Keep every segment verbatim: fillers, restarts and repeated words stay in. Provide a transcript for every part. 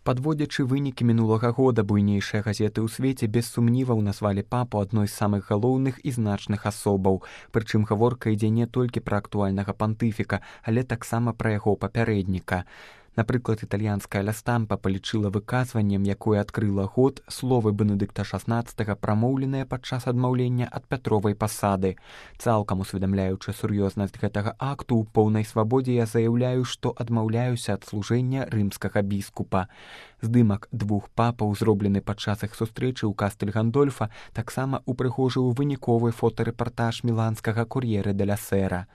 Падводзячы вынікі мінулага года, буйнейшыя газеты ў свеце без сумніваў назвалі папу адной з самых галоўных і значных асобаў. Прычым гаворка ідзе не толькі пра актуальнага пантыфіка, але таксама пра яго папярэдніка. Напрыклад, італьянская ля Стампа палічыла выказваннем, якое адкрыла год, словы Бенедыкта шаснаццатага, прамоўленыя падчас адмаўлення ад Пятровай пасады. Цалкам усведамляючы сур'ёзнасць гэтага акту, у поўнай свабодзе я заяўляю, што адмаўляюся ад служэння рымскага біскупа. Здымак двух папаў, зроблены падчас іх сустрэчы ў Кастэль Гандольфа, таксама упрыгожыў выніковы фотарэпартаж міланскага кур'ера де ля Сера.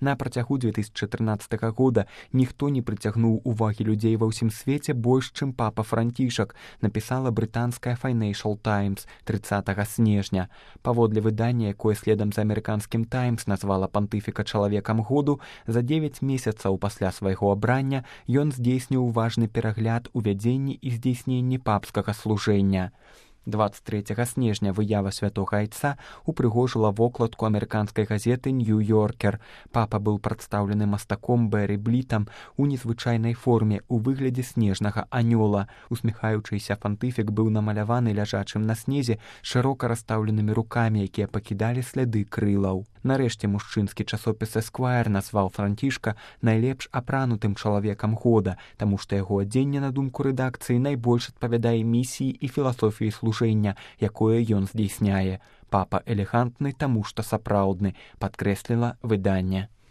На працягу две тысячы чатырнаццатага года ніхто не прыцягнуў увагі людзей ва ўсім свеце больш, чым папа Францішак, напісала брытанская Financial Times трыццатага снежня. Паводле выдання, якое следам за амерыканскім Таймс назвала пантыфіка чалавекам году, за дзевяць месяцаў пасля свайго абрання ён здзейсніў важны перагляд у вядзенні і здзейсненні папскага служэння. дваццаць трэцяга снежня выява святога айца упрыгожыла вокладку амерыканскай газеты «Нью-Йоркер». Папа быў прадстаўлены мастаком Бэрі Блітам у незвычайнай форме у выглядзе снежнага анёла. Усміхаючыся пантыфік быў намаляваны ляжачым на снезе шырока расстаўленымі рукамі, якія пакідалі сляды крылаў. Нарэшце мужчынскі часопіс «Эсквайр» назваў Францішка найлепш апранутым чалавекам года, таму што яго адзенне, на думку рэдакцыі, найбольш адпавядае місіі і філасофіі служэння, якое ён здзейсняе. Папа элегантны, таму што сапраўдны, падкрэсліла выданне.